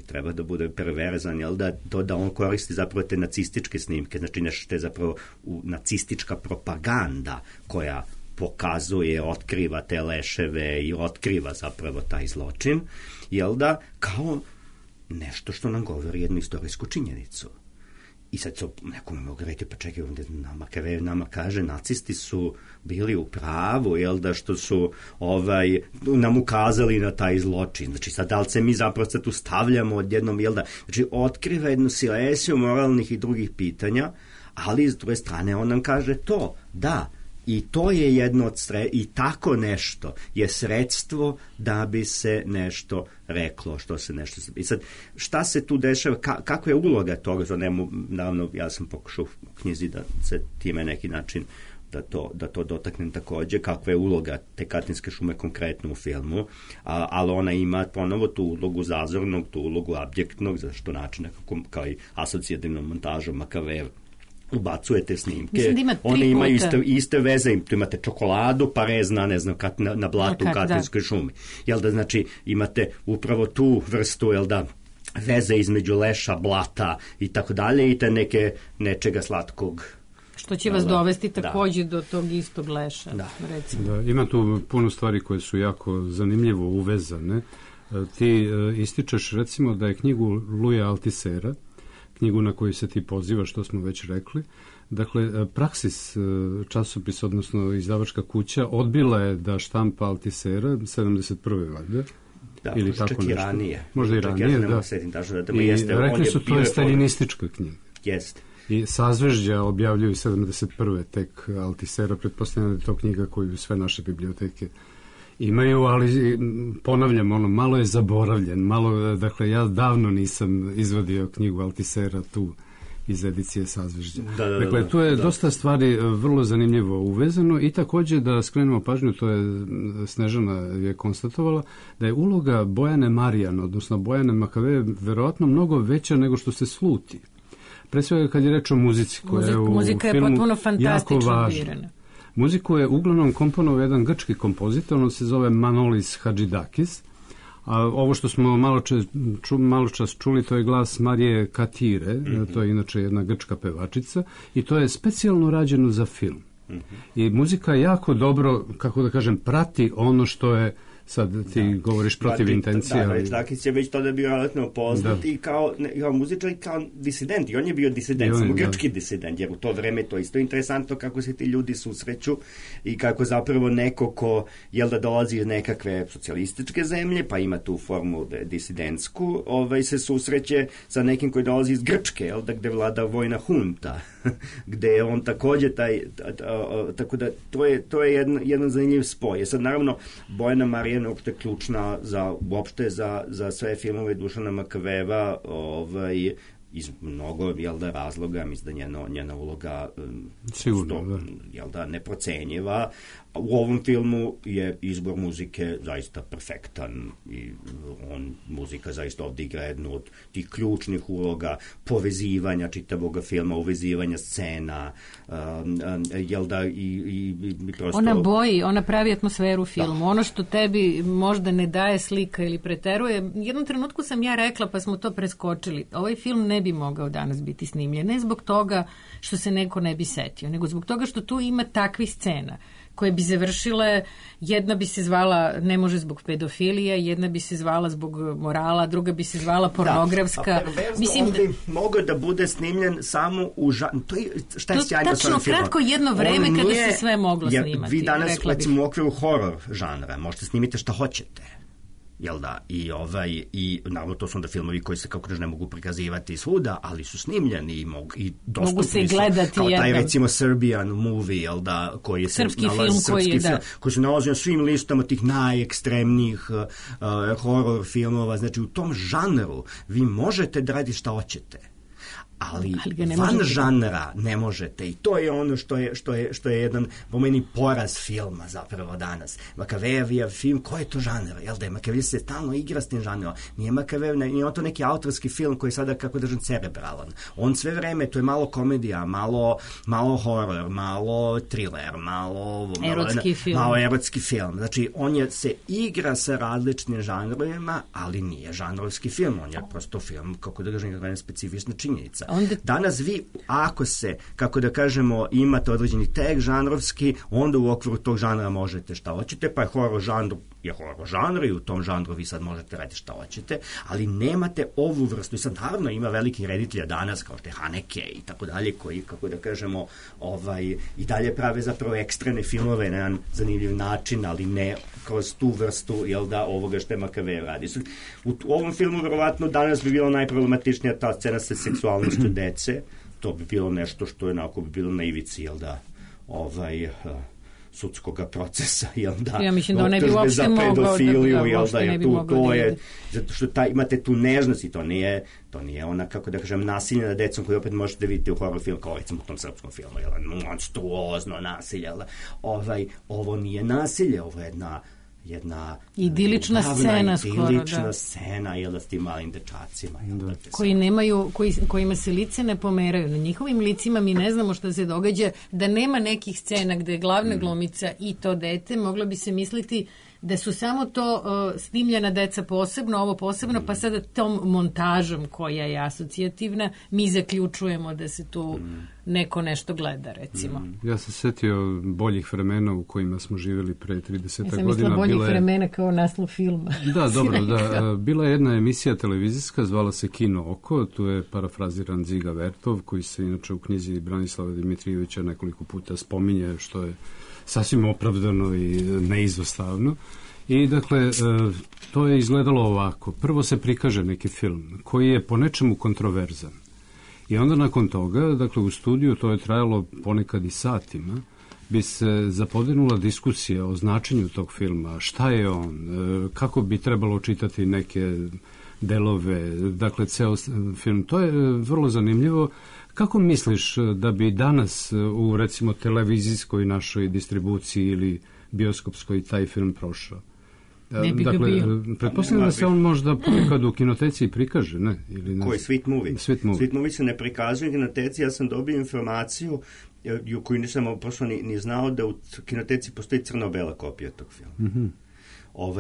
treba da bude perverzan, jel da on koristi zapravo te nacističke snimke, znači nešto što je zapravo nacistička propaganda koja pokazuje, otkriva te leševe i otkriva zapravo taj zločin, jel da, kao nešto što nam govori jednu istorijsku činjenicu. I sad nekome mogu reći, pa čekaj, Makavej nama kaže, nacisti su bili u pravu, jel da, što su nam ukazali na taj zločin. Znači, sad, da li se mi zapravo tu stavljamo odjednom, jel da, znači, otkriva jednu silesiju moralnih i drugih pitanja, ali s druge strane on nam kaže to, da, i to je jedno od i tako nešto je sredstvo da bi se nešto reklo, što se nešto... I sad, šta se tu dešava, kako je uloga toga, naravno, ja sam pokušao u knjizi da se time neki način da to dotaknem takođe, kakva je uloga te Katinske šume konkretno u filmu, ali ona ima ponovo tu ulogu zazornog, tu ulogu abjektnog, zašto načina kao i asocijativnom montažom Makaveja ubacujete snimke, one imaju iste veze, tu imate čokoladu, pa rezna, ne znam, na blatu u Katinskoj šumi. Jel da, znači, imate upravo tu vrstu, jel da, veze između leša, blata i tako dalje i te nečega slatkog. Što će vas dovesti takođe do tog istog leša, recimo. Da, ima tu puno stvari koje su jako zanimljivo uvezane. Ti ističeš, recimo, da je knjigu Luja Altisera, knjigu na koju se ti poziva, što smo već rekli. Dakle, Praksis časopis, odnosno izdavačka kuća, odbila je da štampa Altisera 71. valjda. Da, ili tako čak nešto. I ranije. Možda i ranije, da. I rekli su to je staljinistička knjiga. Jeste. I Sazvežđa objavljuju 71. tek Altisera, pretpostavljam da je to knjiga koju sve naše biblioteke imaju, ali ponavljam, malo je zaboravljen, dakle, ja davno nisam izvadio knjigu Altisera tu iz edicije Sazvežđa. Dakle, tu je dosta stvari vrlo zanimljivo uvezano i takođe da skrenemo pažnju, to je Snežana je konstatovala, da je uloga Bojane Marijan, odnosno Bojane Makaveja, verovatno mnogo veća nego što se sluti. Pre svega kad je reč o muzici, koja je u filmu jako važna. Muziku je uglavnom komponovao jedan grčki kompozitor, on se zove Manolis Hadžidakis, a ovo što smo malo čas čuli, to je glas Marije Katire, to je inače jedna grčka pevačica, i to je specijalno rađeno za film. I muzika jako dobro, kako da kažem, prati ono što je, sad ti govoriš protiv intencija. Da, Hadžidakis je već tada bio relativno poznat i kao muzičar i kao disident. I on je bio disident, samo grčki disident, jer u to vreme to isto interesantno kako se ti ljudi susreću i kako zapravo neko ko, jel da dolazi iz nekakve socijalističke zemlje, pa ima tu formu disidentsku, se susreće sa nekim koji dolazi iz Grčke, jel da, gde vlada vojna hunta, gde je on takođe tako da to je jedan zanimljiv spoj. Sad, naravno, Bojana Marijan uopšte ključna uopšte za sve filmove Dušana Makaveva, iz mnogo, razloga, mislim da njena uloga sigurno, neprocenjiva. U ovom filmu je izbor muzike zaista perfektan i muzika zaista ovdje igra jednu od tih ključnih uloga povezivanja čitavog filma, uvezivanja scena, i prosto... Ona pravi atmosferu filmu. Ono što tebi možda ne daje slika ili preteruje. Jednom trenutku sam ja rekla, pa smo to preskočili, ovaj film ne bi mogao danas biti snimljen. Ne zbog toga što se neko ne bi setio, nego zbog toga što tu ima takvih scena koje bi završile, jedna bi se zvala Ne može zbog pedofilije, jedna bi se zvala zbog morala, druga bi se zvala pornografska. Mislim, on bi mogao da bude snimljen samo u šta je sjajno sa ovim filmom? Kratko jedno vreme kada se sve moglo snimati. Vi danas, recimo, u okviru horor žanra možete snimiti šta hoćete. I naravno to su onda filmovi koji se kako ne mogu prikazivati svuda, ali su snimljeni i dostupni su, kao taj recimo Serbian movie, koji je srpski film koji se nalazi na svim listama tih najekstremnijih horror filmova. Znači u tom žanru vi možete da radite šta hoćete, ali van žanra ne možete, i to je ono što je jedan po meni poraz filma zapravo danas. Makavejev film, koji je to žanr? Makavejev se stalno igra s tim žanrom. Nije Makavejev, nije on to neki autorski film koji je sada, kako držam, cerebralan. On sve vreme, to je malo komedija, malo horor, malo thriller, malo erotski film. Znači, on se igra sa različitim žanrovima, ali nije žanrovski film. On je prosto film, kako držam, specifična činjenica. Danas vi, ako se, kako da kažemo, imate određeni tek žanrovski, onda u okviru tog žanra možete šta hoćete, pa je horor žanr i u tom žanru vi sad možete raditi šta hoćete, ali nemate ovu vrstu. I sad naravno ima velikih reditelja danas, kao što je Haneke i tako dalje, koji, kako da kažemo, i dalje prave zapravo ekstremne filmove na jedan zanimljiv način, ali ne kroz tu vrstu, ovoga što je Makavejev radi. U ovom filmu, verovatno, danas bi bilo najproblematičnija ta scena sa seksualnošću dece. To bi bilo nešto što je onako bi bilo na ivici, sudskog procesa, Ja mislim da ne bi uopšte mogao to je, zato što imate tu nežnost i to nije ona, kako da kažem, nasilje na decom koju opet možete vidjeti u horror filmu, kao recimo u tom srpskom filmu, monstruozno nasilje, ovo nije nasilje, ovo je jedna idilična scena s tim malim dečacima. Kojima se lice ne pomeraju. Na njihovim licima mi ne znamo što se događa, da nema nekih scena gde je glavna glumica i to dete, moglo bi se misliti da su samo to snimljena deca posebno, ovo posebno, pa sada tom montažom koja je asocijativna, mi zaključujemo da se tu neko nešto gleda, recimo. Ja sam setio boljih vremena u kojima smo živjeli pre 30 godina. Ja sam mislila boljih vremena kao naslov filma. Da, dobro, da. Bila je jedna emisija televizijska, zvala se Kino oko, tu je parafraziran Dziga Vertov, koji se inače u knjizi Branislava Dimitrijevića nekoliko puta spominje, što je sasvim opravdano i neizostavno. I dakle, to je izgledalo ovako. Prvo se prikaže neki film koji je po nečemu kontroverzan. I onda nakon toga, dakle u studiju, to je trajalo ponekad i satima, bi se zapodinula diskusija o značenju tog filma, šta je on, kako bi trebalo čitati neke delove, dakle ceo film. To je vrlo zanimljivo. Kako misliš da bi danas u, recimo, televizijskoj našoj distribuciji ili bioskopskoj taj film prošao? Ne bi ga bio. Pretpostavljam da se on možda ponekad u kinoteci prikaže, ne? Koji? Sweet Movie? Sweet Movie se ne prikazuje u kinoteci. Ja sam dobio informaciju koju nisam prosto ni znao, da u kinoteci postoji crno-bela kopija tog filma.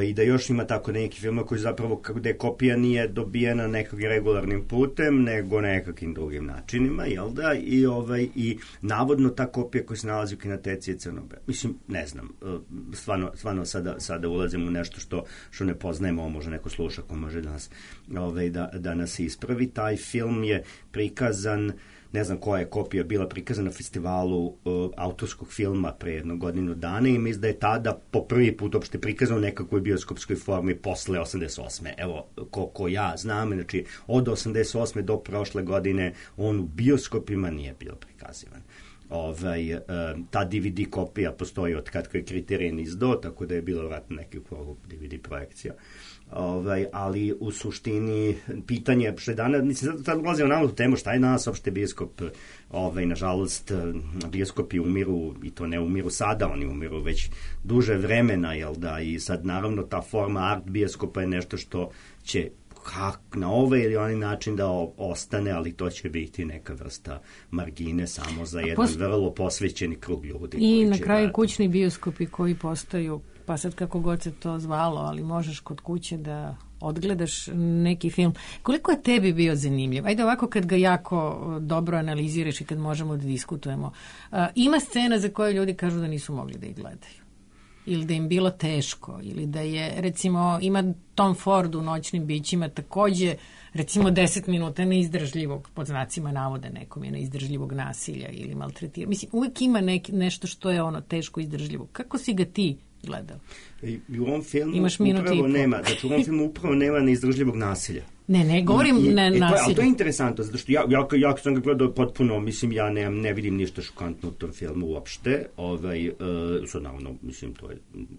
I da još ima tako neki filma koji zapravo, gde kopija nije dobijena nekog regularnim putem, nego nekakvim drugim načinima, jel da? I navodno ta kopija koja se nalazi u kinoteci je crno-bela. Mislim, ne znam, stvarno sada ulazim u nešto što ne poznajemo, može neko sluša ko može da nas ispravi. Taj film je prikazan, ne znam koja je kopija bila prikazana na festivalu autorskog filma pre jednu godinu dana i mislim da je tada po prvi put uopšte prikazan u nekakvoj bioskopskoj formi posle 88. Evo, ko ja znam, znači od 88. do prošle godine on u bioskopima nije bio prikazivan. Ta DVD kopija postoji od kad je Kriterijan izdao, tako da je bilo vratno nekih DVD projekcija. ali u suštini pitanje što je danas, mislim, sad ulazimo na ovu temu šta je nas opšte bioskop, nažalost bioskopi umiru i to ne umiru sada, oni umiru već duže vremena, jel da, i sad naravno ta forma art bioskopa je nešto što će na ovaj ili onaj način da ostane, ali to će biti neka vrsta margine samo za jedan vrlo posvećeni krug ljudi. I na kraju kućni bioskopi koji postaju, pa sad kako god se to zvalo, ali možeš kod kuće da odgledaš neki film. Koliko je tebi bio zanimljiv? Ajde ovako kad ga jako dobro analiziraš i kad možemo da diskutujemo. Ima scena za koje ljudi kažu da nisu mogli da ih gledaju. Ili da im bilo teško, ili da je, recimo, ima Tom Ford u Noćnim bićima takođe, recimo 10 minuta neizdržljivog, pod znacima navode nekom je neizdržljivog nasilja ili maltretiranja. Mislim, uvijek ima nešto što je teško izdržljivo. Kako si ga ti gledao? I u ovom filmu upravo nema, znači u ovom filmu upravo nema neizdržljivog nasilja. Ne, govorim na nasilju. Ali to je interesantno, zato što ja sam ga gledao potpuno, mislim, ja ne vidim ništa šokantno u tom filmu uopšte, sad naravno, mislim,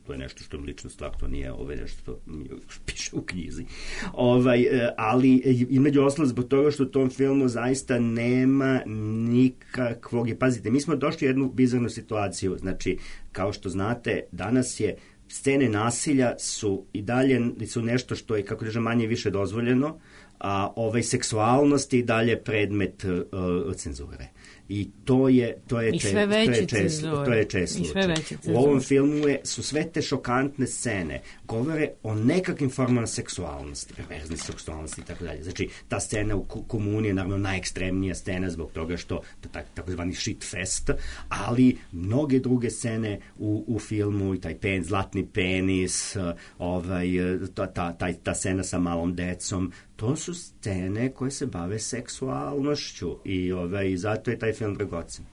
to je nešto što je lična stvar, to nije nešto što piše u knjizi. Ali, između ostalog, zbog toga što u tom filmu zaista nema nikakvog, pazite, mi smo došli u jednu bizarnu situaciju, znači, kao što znate, danas je scene nasilja su i dalje su nešto što je, kako kažem, manje više dozvoljeno, a seksualnost je i dalje predmet cenzure. I to je često slučaj. U ovom filmu su sve te šokantne scene govore o nekakvim formama seksualnosti, perverzne seksualnosti i tako dalje. Znači, ta scena u komuni je naravno najekstremnija scena zbog toga što takozvani shit fest, ali mnoge druge scene u filmu, i taj zlatni penis, ta scena sa malom decom, to su scene koje se bave seksualnošću i zato je taj film dragocen.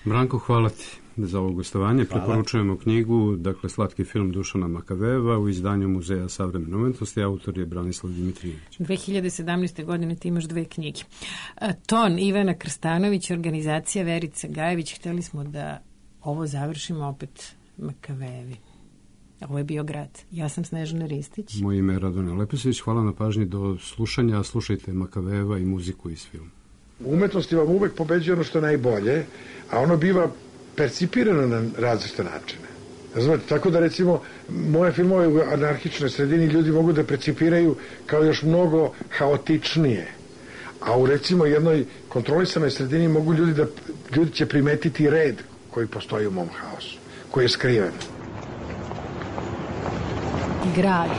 Branko, hvala ti za ovo gostovanje. Preporučujemo knjigu, dakle, Slatki film Dušana Makavejeva u izdanju Muzeja savremene umetnosti. Autor je Branislav Dimitrijević. 2017. godine ti imaš 2 knjige. Ton Ivana Krstanović, organizacija Verica Gajević. Hteli smo da ovo završimo opet Makavejevi. Ovo je bio Grad. Ja sam Snežana Ristić. Moje ime je Radonja Lepesović. Hvala na pažnji, do slušanja. Slušajte Makavejeva i muziku iz filma. U umetnosti vam uvek pobeđuje ono što je najbolje, a ono biva percipirano na različite načine. Znate, tako da, recimo, moje filmove u anarhičnoj sredini ljudi mogu da percipiraju kao još mnogo haotičnije, a u, recimo, jednoj kontrolisanoj sredini mogu ljudi će primetiti red koji postoji u mom haosu, koji je skriven. Grad.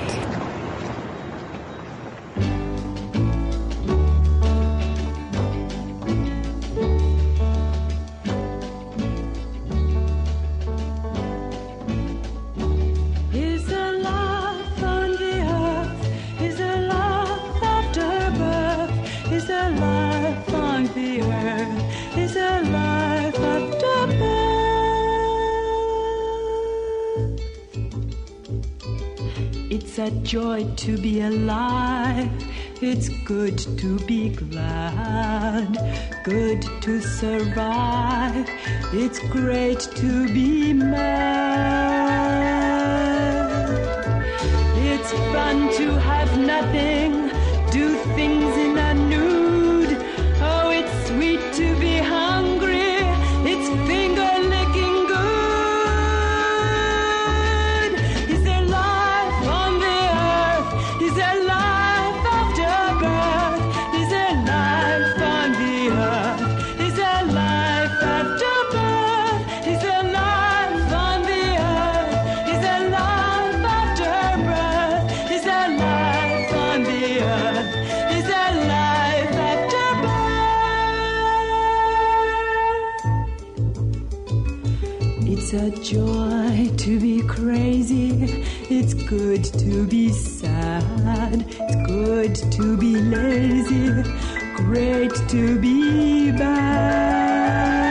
It's a joy to be alive. It's good to be glad. Good to survive. It's great to be mad. It's fun to have nothing. Do things in a nude. Oh, it's sweet to be hungry. It's finger licking good. Is there life on the earth? Is there life after birth? Is there life on the earth? Is there life after birth? Is there life on the earth? Is there life after birth? Is there life on the earth? Is there life after birth? It's a joy to be crazy. It's good to be sad. It's good to be lazy. Great to be bad.